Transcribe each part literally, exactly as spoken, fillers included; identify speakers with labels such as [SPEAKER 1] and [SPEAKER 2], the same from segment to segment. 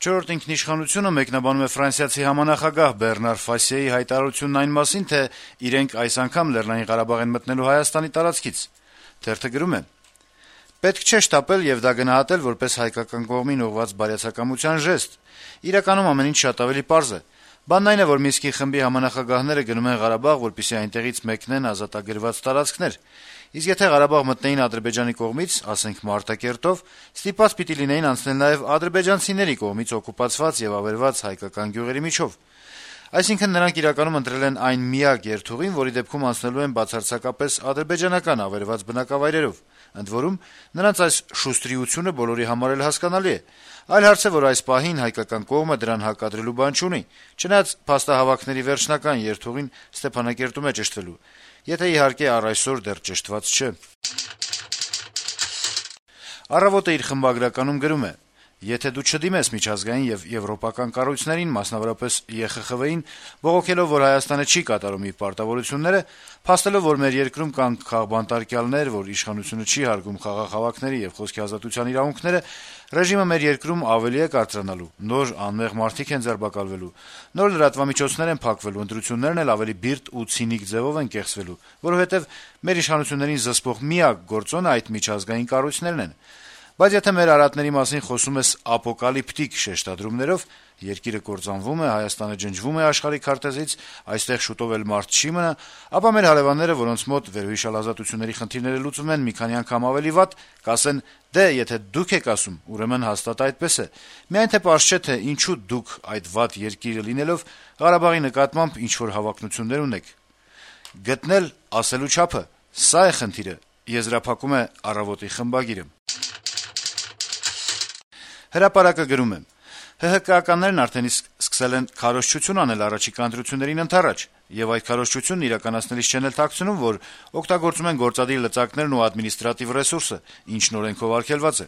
[SPEAKER 1] «Չորրորդ ինքնիշխանությունը» մեկնաբանում է ֆրանսիացի համանախագահ Բեռնար Ֆասիեի հայտարարությունն այն մասին, թե իրենք այս անգամ Լեռնային Ղարաբաղ են մտնելու Հայաստանի տարածքից: Թերթը գրում է. - «Պետք չէ շտապել եւ դա գնահատել որպես հայկական կողմին ուղղված բարյացակամության ժեստ: Իրականում ամեն ինչ շատ ավելի պարզ է: Բանն այն է, որ Մինսկի խմբի համանախագահները գնում են Ղարաբաղ, որպեսզի այնտեղից մեկնեն ազատագրված տարածքներ: Իսկ եթե Ղարաբաղ մտնեին Ադրբեջանի կողմից, ասենք Մարտակերտով, ստիպված պիտի լինեին անցնել նաեւ ադրբեջանցիների կողմից օկուպացված եւ ավերված հայկական գյուղերի միջով: Այսինքն նրանք իրականում ընտրել են այն միակ երթուղին, որի դեպքում անցնելու են բացարձակապես ադրբեջանական ավերված բնակավայրերով: Ընդ որում, նրանց այս շուստրիությունը բոլորի համար էլ հասկանալի է: Այլ հարց է, որ այս պահին հայկական կողմը դրան հարկադրելու բան չունի, չնայած փաստահավաքների վերջնական երթուղին Ստեփանակերտում է ճշտվելու, եթե իհարկե առ այսօր դեռ ճշտված չէ»: «Առավոտ»-ը իր խմբագրականում գրում է. - «Եթե դու չդիմես միջազգային եւ եվրոպական կառույցներին, մասնավորապես Է Խ Խ Վ-ին, բողոքելով, որ Հայաստանը չի կատարում իր պարտավորությունները, փաստելով, որ մեր երկրում կան քաղբանտարկյալներ, որ իշխանությունը չի հարգում խաղաղ հավաքների եւ խոսքի ազատության իրավունքները, ռեժիմը մեր երկրում ավելի է կարծրանալու, նոր անմեղ մարդիկ են ձերբակալվելու, նոր լրատվամիջոցներ են փակվելու, ընտրություններն էլ ավելի բիրտ ու ցինիկ ձեւով են կեղծվելու, որովհետեւ մեր իշխանություններին զսպող միակ գործոնը այդ միջազգային կառույցներն են: Բայց եթե մեր արատների մասին խոսում ես ապոկալիպտիկ շեշտադրումներով, երկիրը կործանվում է, Հայաստանը ջնջվում է աշխարհի քարտեզից, այստեղ շուտով էլ մարդ չի մնա, ապա մեր հարեւանները, որոնց մոտ վերոհիշյալ ազատությունների խնդիրները լուծվում են մի քանի անգամ ավելի վատ, կասեն՝ դե եթե դուք եք ասում, ուրեմն հաստատ այդպես է: Միայն թե պարզ չէ, թե ինչու դուք այդ վատ երկիրը լինելով Ղարաբաղի նկատմամբ ինչ-որ հավակնություններ ունեք: Գտնել ասելու չափը՝ սա է խնդիրը»: «Հրապարակ»-ը գրում է. - «ՀՀԿ-ականներն արդեն իսկ սկսել են քարոզչություն անել առաջիկա ընտրություններին ընդառաջ, եւ այդ քարոզչությունն իրականացնելիս չեն էլ թաքցնում, որ օգտագործում են գործադիր լծակներն ու ադմինիստրատիվ ռեսուրսը, ինչն օրենքով արգելված է: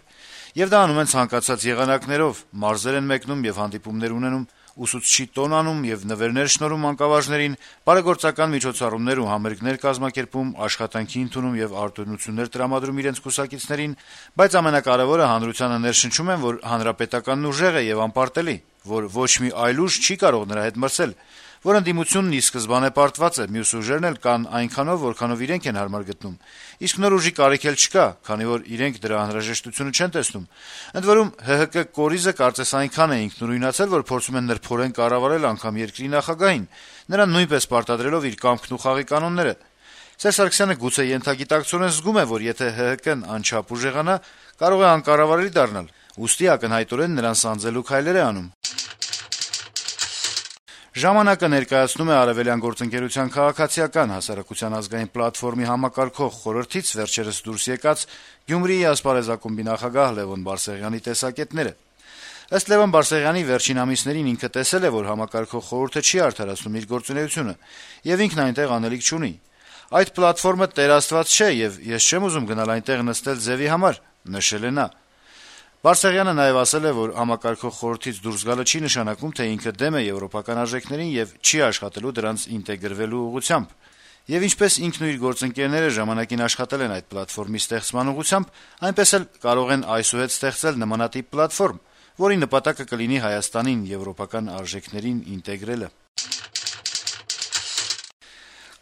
[SPEAKER 1] Եվ դա անում են ցանկացած եղանակներով, մարզեր են մեկնում եւ հանդիպումներ ունենում, ուսուցչի տոն անում եւ նվերներ շնորհում մանկավարժներին, բարեգործական միջոցառումներ ու համերգներ կազմակերպում, աշխատանքի ընդունում եւ արտոնություններ տրամադրում իրենց կուսակիցներին, բայց ամենակարեւորը հանրությանը ներշնչում են, որ հանրապետականն ուժեղ է եւ անպարտելի, որ ոչ մի այլ ուժ չի կարող նրա հետ մրցել, որ ընդդիմությունն ի սկզբանե պարտված է, մյուս ուժերն էլ կան այնքանով, որքանով իրենք են հարմար գտնում, իսկ նոր ուժի կարիք էլ չկա, քանի որ իրենք դրա անհրաժեշտությունը չեն տեսնում: Ընդ որում, ՀՀԿ կորիզը կարծես այնքան է ինքնուրույնացել, որ փորձում են նրբորեն կառավարել անգամ երկրի նախագահին, նրան նույնպես պարտադրելով իր կամքն ու խաղի կանոնները: Սերժ Սարգսյանը գուցե ենթագիտակցորեն զգում է, որ եթե ՀՀԿ-ն անչափ ուժեղանա, կարող է անկառավարելի դառնալ, ուստի ակնհայտորեն նրան սանձելու քայլեր է անում»: «Ժամանակ»-ը ներկայացնում է Արեւելյան գործընկերության քաղաքացիական հասարակության ազգային պլատֆորմի համակարգող խորհրդից վերջերս դուրս եկած Գյումրիի ասպարեզ ակումբի նախագահ Լեւոն Բարսեղյանի տեսակետները: Ըստ Լեւոն Բարսեղյանի, վերջին ամիսներին ինքը տեսել է, որ համակարգող խորհուրդը չի արդարացնում իր գործունեությունը, եւ ինքն այնտեղ անելիք չունի: «Այդ պլատֆորմը Տեր Աստված չէ, եւ ես չեմ ուզում գնալ այնտեղ նստել ձեւի համար», - նշել է նա: Բարսեղյանը նաեւ ասել է, որ համակարգող խորհրդից դուրս գալը չի նշանակում, թե ինքը դեմ է եվրոպական արժեքներին եւ չի աշխատելու դրանց ինտեգրվելու ուղղությամբ: Եվ ինչպես ինքն ու իր գործընկերները ժամանակին աշխատել են այդ պլատֆորմի ստեղծման ուղղությամբ, այնպես էլ կարող են այսուհետ ստեղծել նմանատիպ պլատֆորմ, որի նպատակը կլինի Հայաստանին եվրոպական արժեքներին ինտեգրելը: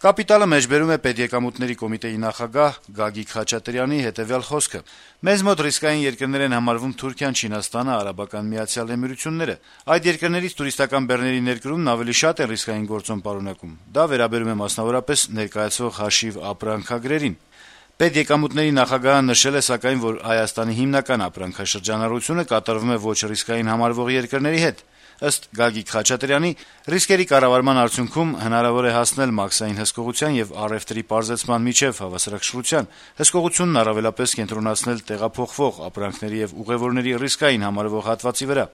[SPEAKER 1] «Կապիտալ»-ը մեջբերում է Պետեկամուտների կոմիտեի նախագահ Գագիկ Խաչատրյանի հետեւյալ խոսքը. - «Մեզ մոտ ռիսկային երկրներ են համարվում Թուրքիան, Չինաստանը, Արաբական Միացյալ Էմիրությունները: Այդ երկրներից տուրիստական բեռների ներկրումն ավելի շատ է ռիսկային գործոն պարունակում: Դա վերաբերում է մասնավորապես ներկայացվող հաշիվ-ապրանքագրերին: Պետեկամուտների նախագահը նշել է, սակայն, որ Հայաստանի հիմնական ապրանքաշրջանառությունը կատարվում է ոչ ռիսկային համարվող երկրների հետ: Ըստ Գագիկ Խաչատրյանի, ռիսկերի կառավարման արդյունքում հնարավոր է հասնել մաքսային հսկողության եւ առեւտրի պարզեցման միջեւ հավասարակշռության, հսկողությունն առավելապես կենտրոնացնել տեղափոխվող ապրանքների եւ ուղեւորների ռիսկային համարվող հատվածի վրա: